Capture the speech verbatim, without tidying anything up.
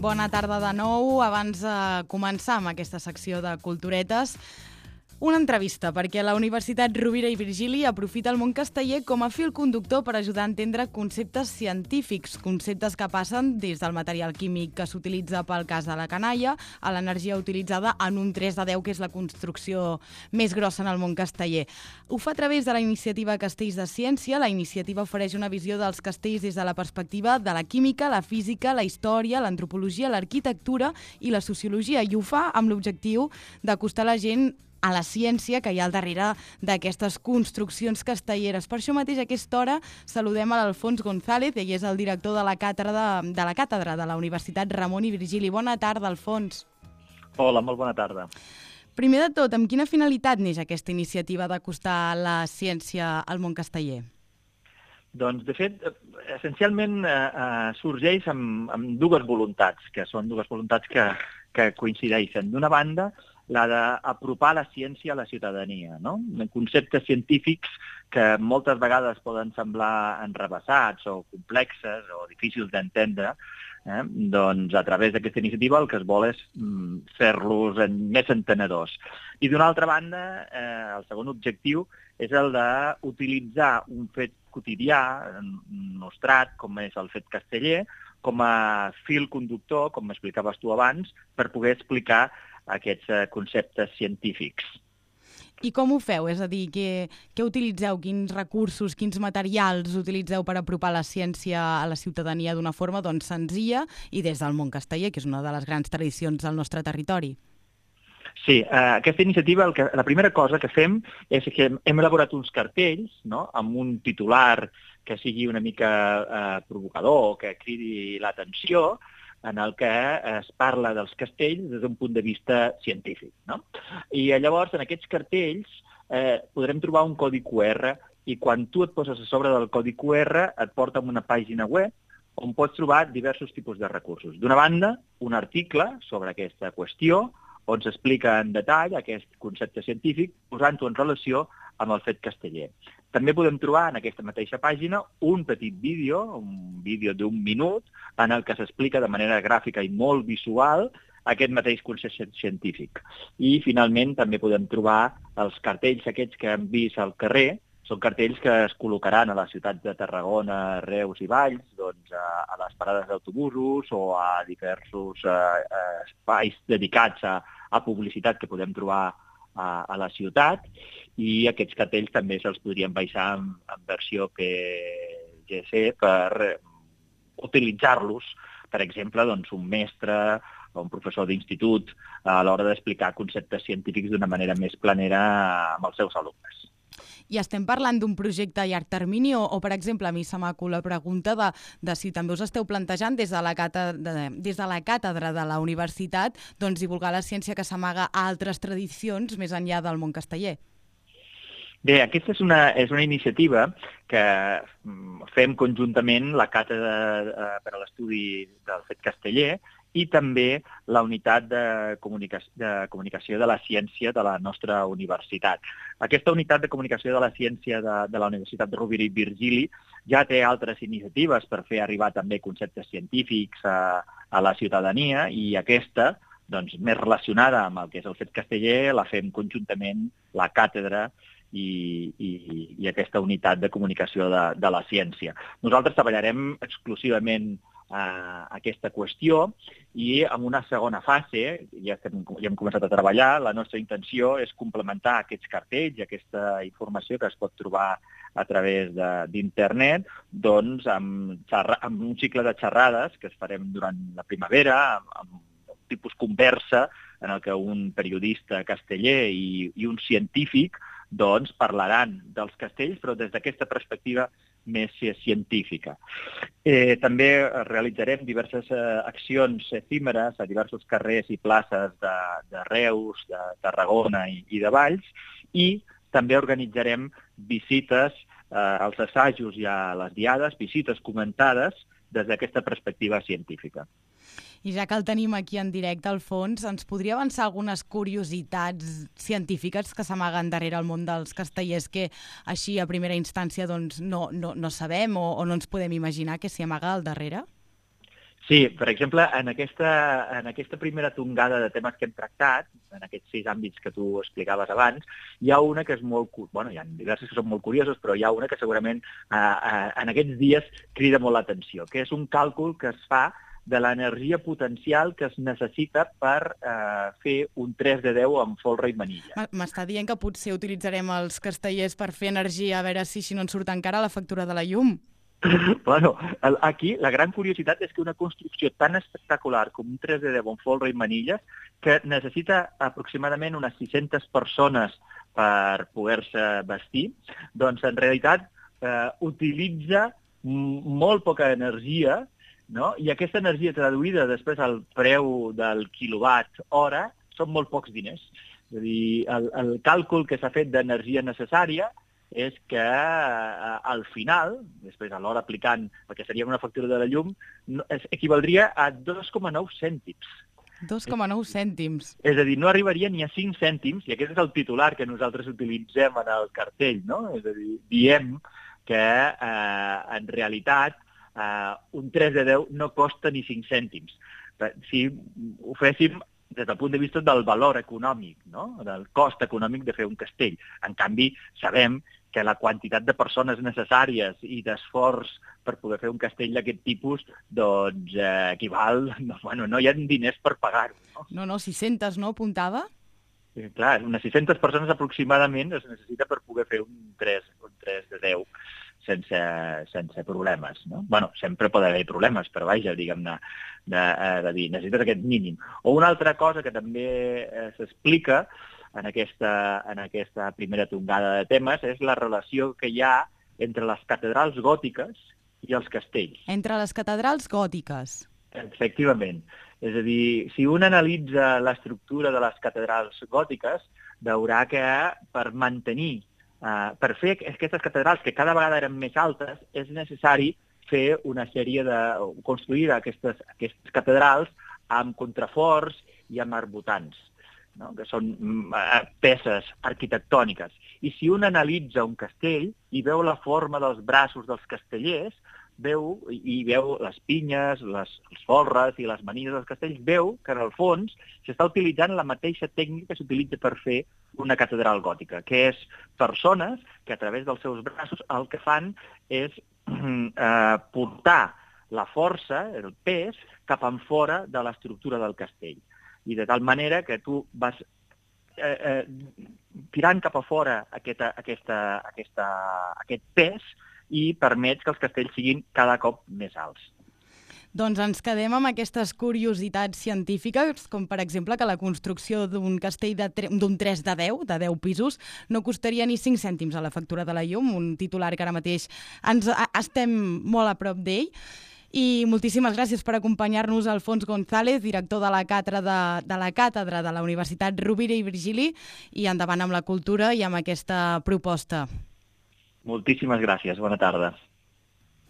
Bona tarda de nou. Abans de començar amb aquesta secció de culturetes, una entrevista, perquè la Universitat Rovira i Virgili aprofita el món casteller com a fil conductor per ajudar a entendre conceptes científics, conceptes que passen des del material químic que s'utilitza pel cas de la canalla a l'energia utilitzada en un tres de deu, que és la construcció més grossa en el món casteller. Ho fa a través de la iniciativa Castells de Ciència. La iniciativa ofereix una visió dels castells des de la perspectiva de la química, la física, la història, l'antropologia, l'arquitectura i la sociologia, i ho fa amb l'objectiu d'acostar la gent a la ciència que hi ha al darrere d'aquestes construccions castelleres. Per això mateix, a aquesta hora, saludem a l'Alfons González, ell és el director de la càtedra de, de la càtedra de la Universitat Ramon i Virgili. Bona tarda, Alfons. Hola, molt bona tarda. Primer de tot, amb quina finalitat neix aquesta iniciativa d'acostar la ciència al món casteller? Doncs, de fet, essencialment eh, eh, sorgeix amb, amb dues voluntats, que són dues voluntats que, que coincideixen. D'una banda, la d'apropar la ciència a la ciutadania, no? Conceptes científics que moltes vegades poden semblar enrevessats o complexes o difícils d'entendre, eh? Doncs a través d'aquesta iniciativa el que es vol és mm, fer-los en, més entenedors. I d'una altra banda, eh, el segon objectiu és el d'utilitzar un fet quotidià, nostrat, com és el fet casteller, com a fil conductor, com m'explicaves tu abans, per poder explicar aquests eh, conceptes científics. I com ho feu? És a dir, què, què utilitzeu? Quins recursos, quins materials utilitzeu per apropar la ciència a la ciutadania d'una forma doncs, senzilla i des del món casteller, que és una de les grans tradicions del nostre territori? Sí, eh, aquesta iniciativa, el que, la primera cosa que fem és que hem elaborat uns cartells, no?, amb un titular que sigui una mica eh, provocador, que cridi l'atenció, en el que es parla dels castells des d'un punt de vista científic, no? I llavors, en aquests cartells, eh, podrem trobar un codi cu erre, i quan tu et poses a sobre del codi cu erre et porta a una pàgina web on pots trobar diversos tipus de recursos. D'una banda, un article sobre aquesta qüestió, on s'explica en detall aquest concepte científic, posant-ho en relació amb el fet casteller. També podem trobar en aquesta mateixa pàgina un petit vídeo, un vídeo d'un minut, en el que s'explica de manera gràfica i molt visual aquest mateix concepte científic. I, finalment, també podem trobar els cartells aquests que hem vist al carrer. Són cartells que es col·locaran a les ciutats de Tarragona, Reus i Valls, doncs, a, a les parades d'autobusos o a diversos eh, espais dedicats a, a publicitat que podem trobar a, a la ciutat, i aquests cartells també se'ls podrien baixar en, en versió P G C per utilitzar-los, per exemple, doncs, un mestre o un professor d'institut a l'hora d'explicar conceptes científics d'una manera més planera amb els seus alumnes. I estem parlant d'un projecte a llarg termini o, o per exemple, a mi se m'acut la pregunta de, de si també us esteu plantejant des de la càtedra, des de la càtedra de la universitat doncs, divulgar la ciència que s'amaga a altres tradicions més enllà del món casteller. Bé, aquesta és una, és una iniciativa que fem conjuntament la Càtedra per a l'Estudi del Fet Casteller i també la Unitat de Comunicació, de Comunicació de la Ciència de la nostra universitat. Aquesta Unitat de Comunicació de la Ciència de, de la Universitat de Rovira i Virgili ja té altres iniciatives per fer arribar també conceptes científics a, a la ciutadania, i aquesta, doncs, més relacionada amb el que és el fet casteller, la fem conjuntament la càtedra I, i, i aquesta unitat de comunicació de, de la ciència. Nosaltres treballarem exclusivament eh, aquesta qüestió, i en una segona fase, ja, estem, ja hem començat a treballar, la nostra intenció és complementar aquests cartells i aquesta informació que es pot trobar a través d'internet, doncs amb, amb un cicle de xerrades que es farem durant la primavera, amb, amb un tipus conversa en el que un periodista casteller i, i un científic doncs parlaran dels castells, però des d'aquesta perspectiva més científica. Eh, també realitzarem diverses eh, accions efímeres a diversos carrers i places de, de Reus, de Tarragona i, i de Valls, i també organitzarem visites eh, als assajos i a les diades, visites comentades des d'aquesta perspectiva científica. I ja que el tenim aquí en directe, Alfons, ens podria avançar algunes curiositats científiques que s'amaguen darrere el món dels castellers que així a primera instància doncs, no, no, no sabem o, o no ens podem imaginar que s'hi amaga al darrere? Sí, per exemple, en aquesta, en aquesta primera tongada de temes que hem tractat, en aquests sis àmbits que tu explicaves abans, hi ha una que és molt... Bueno, hi ha diverses que són molt curiosos, però hi ha una que segurament eh, eh, en aquests dies crida molt l'atenció, que és un càlcul que es fa de l'energia potencial que es necessita per eh, fer un tres de deu amb folre i manilla. M'està dient que potser utilitzarem els castellers per fer energia, a veure si, si no ens surt encara la factura de la llum. Bueno, aquí la gran curiositat és que una construcció tan espectacular com un tres de deu amb folre i manilles, que necessita aproximadament unes sis-centes persones per poder-se vestir, doncs en realitat eh, utilitza molt poca energia, no? I aquesta energia traduïda després al preu del quilowatt hora són molt pocs diners. És a dir, el, el càlcul que s'ha fet d'energia necessària és que eh, al final, després a l'hora aplicant el que seria una factura de la llum, no, es, equivaldria a dos coma nou cèntims. dos coma nou cèntims. És a dir, no arribaria ni a cinc cèntims, i aquest és el titular que nosaltres utilitzem en el cartell, no? És a dir, diem que eh, en realitat eh, un tres de deu no costa ni cinc cèntims. Si ho féssim des del punt de vista del valor econòmic, no? Del cost econòmic de fer un castell. En canvi, sabem que la quantitat de persones necessàries i d'esforç per poder fer un castell d'aquest tipus, doncs eh, equival... No, bueno, no hi ha diners per pagar-ho. No, no, no sis-centes, no? Apuntava? Sí, clar, unes sis-centes persones aproximadament es necessita per poder fer un tres, un tres de deu sense, sense problemes, no? Bueno, sempre pot haver problemes, però vaja, diguem-ne, de, de dir, necessites aquest mínim. O una altra cosa que també eh, s'explica en aquesta, en aquesta primera tongada de temes és la relació que hi ha entre les catedrals gòtiques i els castells. Entre les catedrals gòtiques. Efectivament. És a dir, si un analitza l'estructura de les catedrals gòtiques, veurà que per mantenir, eh, per fer aquestes catedrals que cada vegada eren més altes, és necessari fer una sèrie de... construir aquestes, aquestes catedrals amb contraforts i amb arbotants, no? Que són uh, peces arquitectòniques. I si un analitza un castell i veu la forma dels braços dels castellers, veu, i veu les pinyes, les, els folres i les manilles dels castells, veu que en el fons s'està utilitzant la mateixa tècnica que s'utilitza per fer una catedral gòtica, que és persones que a través dels seus braços el que fan és eh, portar la força, el pes, cap en fora de l'estructura del castell. I de tal manera que tu vas eh, eh, tirant cap a fora aquesta, aquesta, aquesta, aquest pes i permets que els castells siguin cada cop més alts. Doncs ens quedem amb aquestes curiositats científiques, com per exemple que la construcció d'un castell d'un tres de deu, de deu pisos, no costaria ni cinc cèntims a la factura de la llum, un titular que ara mateix ens a, estem molt a prop d'ell. I moltíssimes gràcies per acompanyar-nos, Alfons González, director de la càtedra de, de la càtedra de la Universitat Rovira i Virgili, i endavant amb la cultura i amb aquesta proposta. Moltíssimes gràcies. Bona tarda.